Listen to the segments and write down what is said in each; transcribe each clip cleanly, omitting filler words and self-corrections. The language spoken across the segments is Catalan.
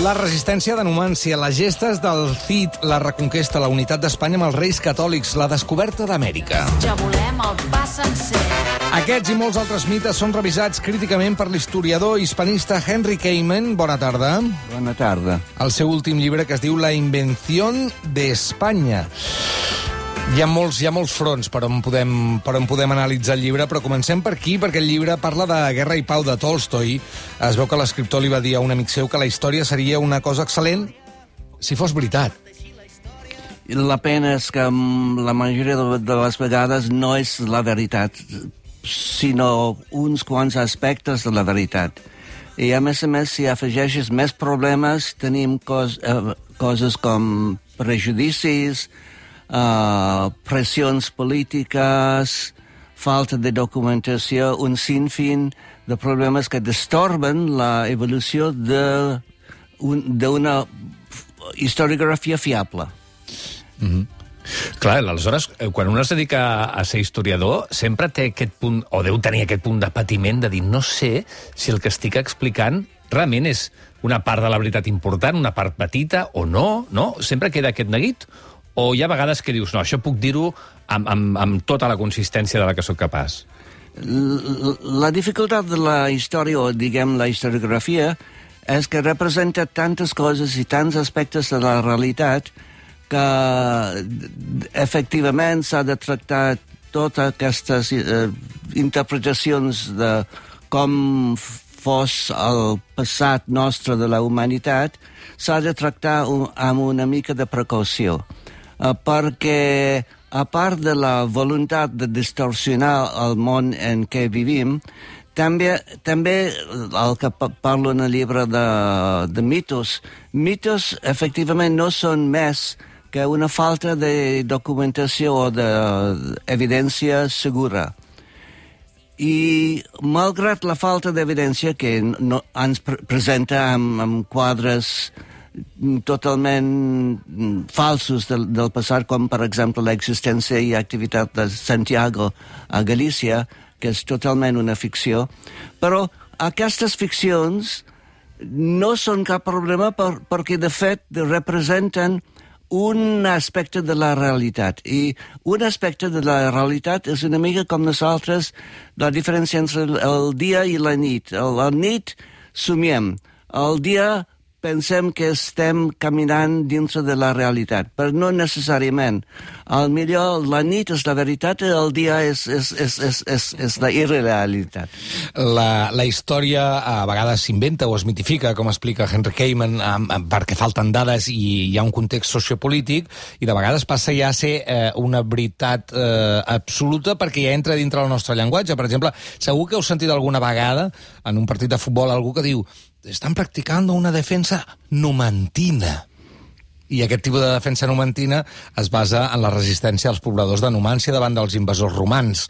La resistència de Numància, les gestes del Cid, la reconquesta, la unitat d'Espanya amb els reis catòlics, la descoberta d'Amèrica. Ja volem el pa sencer. Aquests i molts altres mites són revisats críticament per l'historiador hispanista Henry Kamen. Bona tarda. Bona tarda. El seu últim llibre, que es diu La invención de España. Hi ha molts fronts per on podem analitzar el llibre, però comencem per aquí, perquè el llibre parla de Guerra i Pau de Tolstoi. Es veu que l'escriptor li va dir a un amic seu que la història seria una cosa excel·lent si fos veritat. La pena és que la majoria de les vegades no és la veritat, sinó uns quants aspectes de la veritat. I a més, si afegeixes més problemes, tenim coses com prejudicis, pressions polítiques, falta de documentació, un sinfín de problemes que destorben la evolució d'una historiografia fiable. Mm-hmm. Clar, aleshores, quan un es dedica a ser historiador, sempre té aquest punt, o deu tenir aquest punt de patiment de dir, no sé si el que estic explicant realment és una part de la veritat important, una part petita, o no, no? Sempre queda aquest neguit? O hi ha vegades que dius, no, això puc dir-ho amb tota la consistència de la que sóc capaç? La dificultat de la història, o diguem la historiografia, és que representa tantes coses i tants aspectes de la realitat que efectivament s'ha de tractar totes aquestes interpretacions de com fos el passat nostre de la humanitat, s'ha de tractar amb una mica de precaució. Perquè, a part de la voluntat de distorsionar el món en què vivim, també el que parlo en el llibre de mitos, efectivament no són més que una falta de documentació o d'evidència segura. I malgrat la falta d'evidència que ens presenta amb quadres totalment falsos del passat, com per exemple l'existència i activitat de Santiago a Galícia, que és totalment una ficció, però aquestes ficcions no són cap problema perquè de fet representen un aspecte de la realitat. I un aspecte de la realitat és una mica com nosaltres, la diferència entre el dia i la nit. La nit somiem, el dia pensem que estem caminant dintre de la realitat, però no necessàriament. Al millor la nit és la veritat i el dia és la irrealitat. La història a vegades s'inventa o es mitifica, com explica Henry Kamen, perquè falten dades i hi ha un context sociopolític, i de vegades passa ja a ser una veritat absoluta perquè ja entra dintre del nostre llenguatge. Per exemple, segur que heu sentit alguna vegada en un partit de futbol algú que diu «Estan practicant una defensa numantina». I aquest tipus de defensa numantina es basa en la resistència dels pobladors de Numància davant dels invasors romans.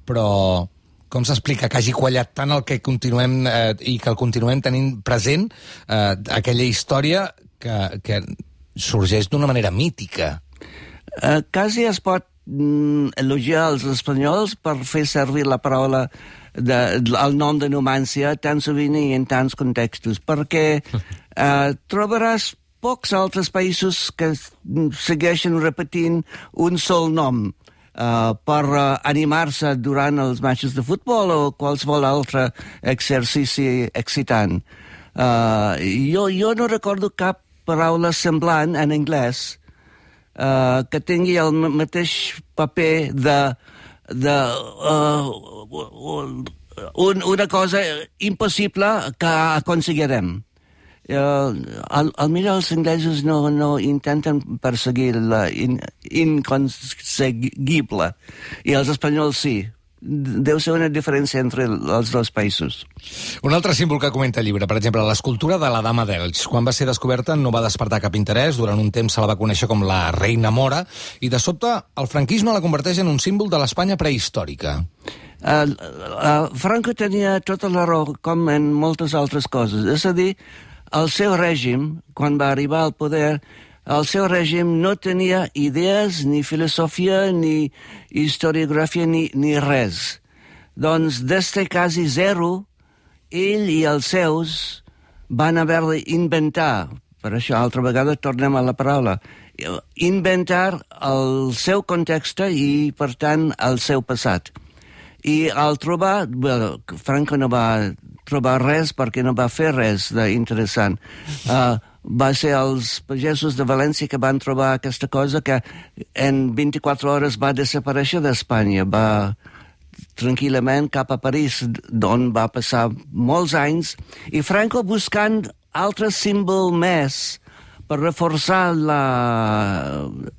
Però com s'explica que hagi quallat tant el que continuem i que el continuem tenint present, aquella història que sorgeix d'una manera mítica? Quasi es pot elogiar els espanyols per fer servir la paraula el nom de Numància tan sovint i en tants contextos, perquè trobaràs pocs altres països que segueixen repetint un sol nom per animar-se durant els matxos de futbol o qualsevol altre exercici excitant. Jo no recordo cap paraula semblant en anglès que tingui el mateix paper una cosa impossible que aconseguirem. Al millor els inglesos no intenten perseguir la inconseguible i els espanyols sí. Deu ser una diferència entre els dos països. Un altre símbol que comenta el llibre, per exemple, l'escultura de la Dama d'Elx. Quan va ser descoberta no va despertar cap interès, durant un temps se la va conèixer com la Reina Mora, i de sobte el franquisme la converteix en un símbol de l'Espanya prehistòrica. Franco tenia tota la raó, com en moltes altres coses. És a dir, el seu règim, quan va arribar al poder, el seu règim no tenia idees, ni filosofia, ni historiografia, ni res. Doncs des de quasi zero, ell i els seus van haver d'inventar, per això altra vegada tornem a la paraula, inventar el seu context i, per tant, el seu passat. I al trobar, Franco no va trobar res perquè no va fer res d'interessant. Va ser els pagesos de València que van trobar aquesta cosa que en 24 hores va desaparèixer d'Espanya, va tranquil·lament cap a París, d'on va passar molts anys, i Franco buscant altres símbol més per reforçar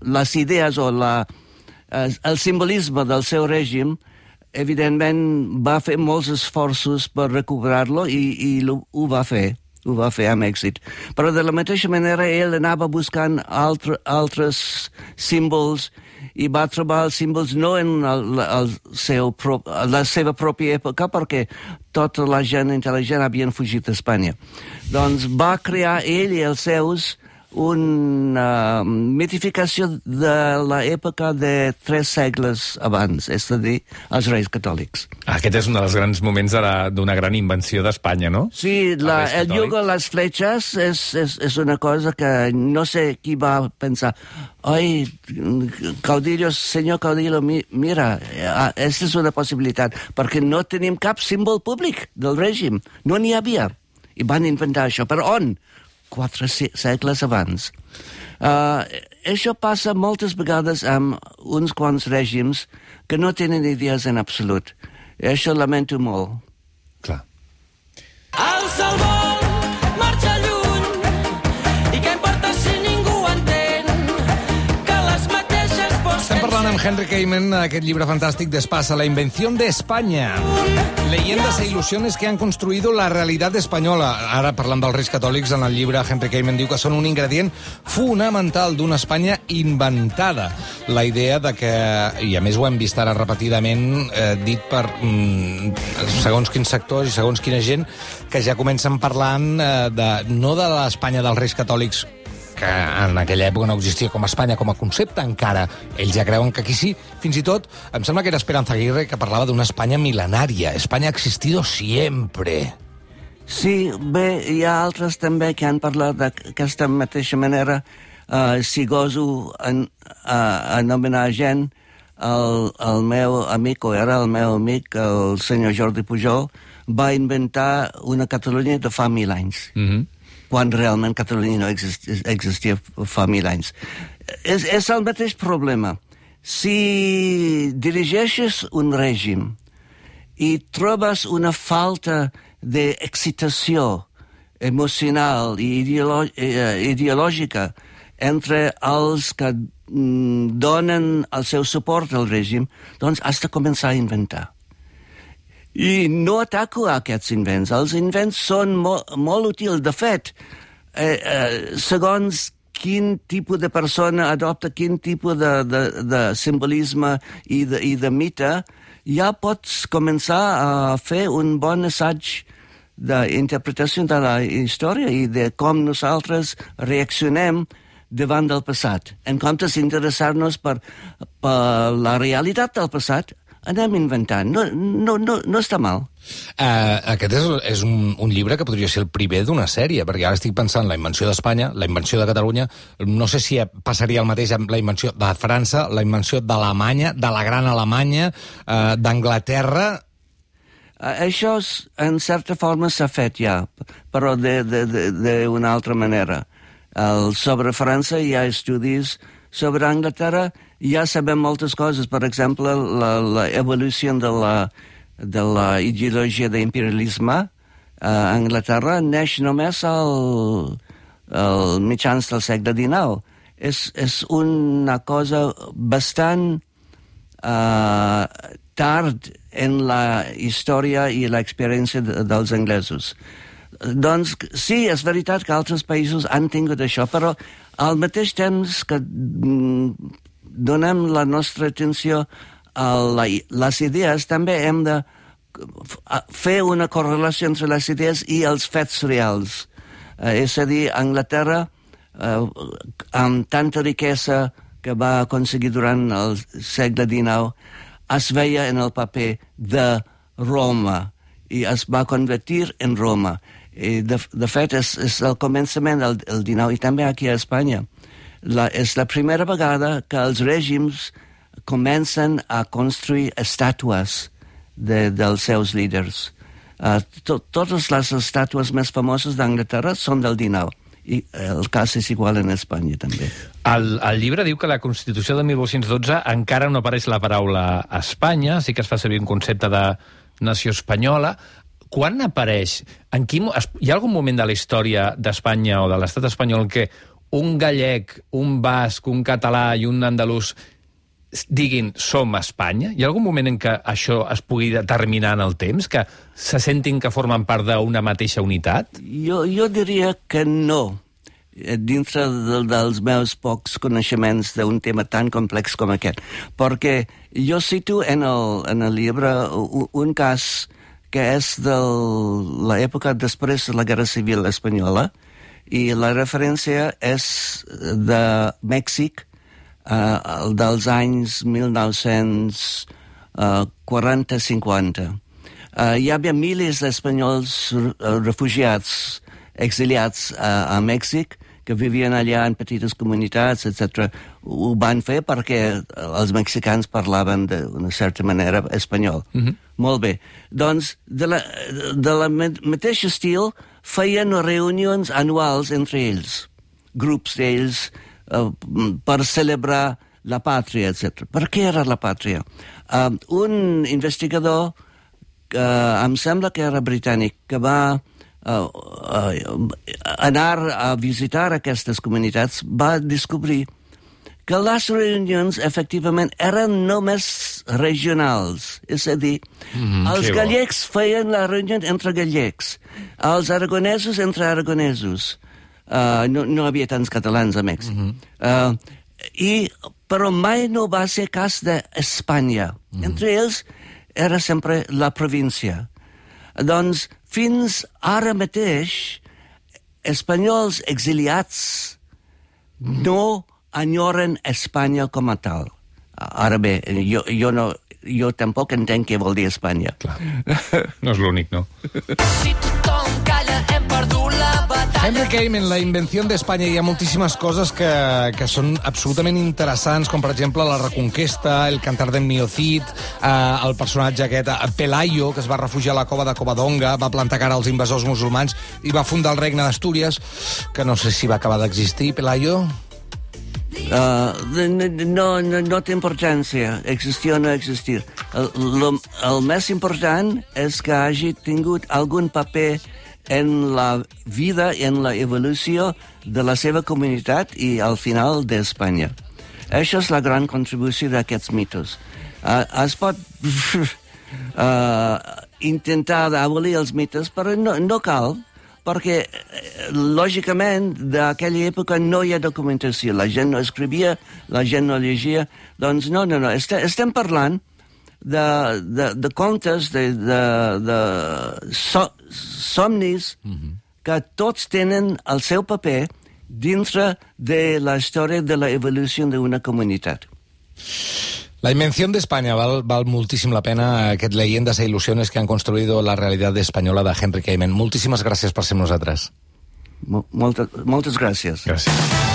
les idees o el simbolisme del seu règim. Evidentment va fer molts esforços per recuperar-lo i ho va fer. Ho va fer amb èxit. Però de la mateixa manera ell anava buscant altres símbols i va trobar els símbols no en la seva pròpia època, perquè tota la gent intel·ligent havien fugit d'Espanya. Doncs va crear ell i els seus una mitificació de l'època de 3 segles abans, és a dir, els reis catòlics. Aquest és un dels grans moments d'una gran invenció d'Espanya, no? Sí, el jugo a les fletxes és una cosa que no sé qui va pensar. Oi, Caudillo, senyor Caudillo, mira, aquesta és una possibilitat, perquè no tenim cap símbol públic del règim, no n'hi havia. I van inventar això, però on? 4 segles abans. Això passa moltes vegades amb uns quants règims que no tenen idees en absolut. I això lamento molt. Clar. Alça el vol, marxa lluny, i què importa si ningú entén que les mateixes vols... Estem parlant amb Henry Kamen, aquest llibre fantàstic Despasa, la invención de España. Leyendas e ilusiones que han construido la realidad española. Ara, parlant dels reis catòlics, en el llibre Henry Kamen diu que són un ingredient fonamental d'una Espanya inventada. La idea de que, i a més ho hem vist ara repetidament, dit per segons quins sectors i segons quina gent, que ja comencen parlant no de l'Espanya dels reis catòlics, que en aquella època no existia com a Espanya com a concepte encara. Ells ja creuen que aquí sí. Fins i tot, em sembla que era Esperanza Aguirre que parlava d'una Espanya mil·lenària. Espanya ha existido siempre. Sí, bé, hi ha altres també que han parlat d'aquesta mateixa manera. Si goso anomenar gent, el meu amic, o era el meu amic, el senyor Jordi Pujol, va inventar una Catalunya de fa 1.000 anys. Quan realment Catalunya no existia fa 1.000 anys. És el mateix problema. Si dirigeixes un règim i trobes una falta d'excitació emocional i ideològica entre els que donen el seu suport al règim, doncs has de començar a inventar. I no ataco a aquests invents. Els invents són molt útils. De fet, segons quin tipus de persona adopta quin tipus de simbolisme i de mite, ja pots començar a fer un bon assaig d'interpretació de la història i de com nosaltres reaccionem davant del passat. En comptes d'interessar-nos per la realitat del passat, anem inventant. No està mal. Aquest és un llibre que podria ser el primer d'una sèrie, perquè ara estic pensant la invenció d'Espanya, la invenció de Catalunya, no sé si passaria el mateix amb la invenció de França, la invenció d'Alemanya, de la gran Alemanya, d'Anglaterra... Això, en certa forma, s'ha fet ja, però d'una altra manera. Sobre França hi ha estudis, sobre Anglaterra ja sabem moltes coses. Per exemple, l'evolució de la ideologia d'imperialisme a Anglaterra neix només al mitjans del segle XIX. És una cosa bastant tard en la història i l'experiència dels anglesos. Doncs sí, és veritat que altres països han tingut això, però al mateix temps que donem la nostra atenció a les idees, també hem de fer una correlació entre les idees i els fets reals. És a dir, Anglaterra, amb tanta riquesa que va aconseguir durant el segle XIX, es veia en el paper de Roma i es va convertir en Roma. I de fet, és el començament del 19, i també aquí a Espanya. És la primera vegada que els règims comencen a construir estàtues dels seus líders. Totes les estàtues més famoses d'Anglaterra són del 19, i el cas és igual en Espanya també. El llibre diu que la Constitució de 1812 encara no apareix la paraula Espanya, sí que es fa servir un concepte de nació espanyola. Quan apareix? Hi ha algun moment de la història d'Espanya o de l'estat espanyol que un gallec, un basc, un català i un andalús diguin som Espanya? Hi ha algun moment en què això es pugui determinar en el temps? Que se sentin que formen part d'una mateixa unitat? Jo diria que no. Dintre dels meus pocs coneixements d'un tema tan complex com aquest. Perquè jo cito en el llibre un cas que és de l'època després de la Guerra Civil Espanyola, i la referència és de Mèxic, dels anys 1940-50. Hi havia milers d'espanyols refugiats, exiliats a Mèxic, que vivien allà en petites comunitats, etc. Ho van fer perquè els mexicans parlaven d'una certa manera espanyol. Molt bé. Doncs, de la mateixa estil, feien reunions anuals entre ells, grups d'ells, per celebrar la pàtria, etc. Per què era la pàtria? Un investigador, em sembla que era britànic, que va anar a visitar aquestes comunitats, va descobrir que les reunions, efectivament, eren només regionals. És a dir, els gallecs feien la reunió entre gallecs, els aragonesos entre aragonesos. No havia tants catalans a Mèxic. Però mai no va ser cas d'Espanya. Entre ells era sempre la província. Doncs fins ara mateix, espanyols exiliats no enyoren Espanya com a tal. Ara bé, jo tampoc entenc què vol dir Espanya. Clar. No és l'únic, no? Si tothom calla, hem perdut la batalla. Henry Came, en La invenció d'Espanya hi ha moltíssimes coses que són absolutament interessants, com per exemple la Reconquesta, el cantar d'en Mio Cid, el personatge aquest, Pelayo, que es va refugiar a la cova de Covadonga, va plantar cara als invasors musulmans i va fundar el regne d'Astúries, que no sé si va acabar d'existir, Pelayo. No té importància existir o no existir. El més important és que hagi tingut algun paper en la vida i en la evolució de la seva comunitat i al final d'Espanya. Això és la gran contribució d'aquests mitos. Es pot intentar d'abolir els mites, però no cal, perquè, lògicament, d'aquella època no hi ha documentació. La gent no escrivia, la gent no llegia. Doncs no. Estem parlant de contes, de somnis, que tots tenen el seu paper dintre de la història de la evolució d'una comunitat. La invención de España val moltíssim la pena, aquest Leyendas e ilusiones que han construido la realidad española de Henry Kamen. Moltíssimes gràcies per ser amb nosaltres. Moltes gràcies. Gràcies.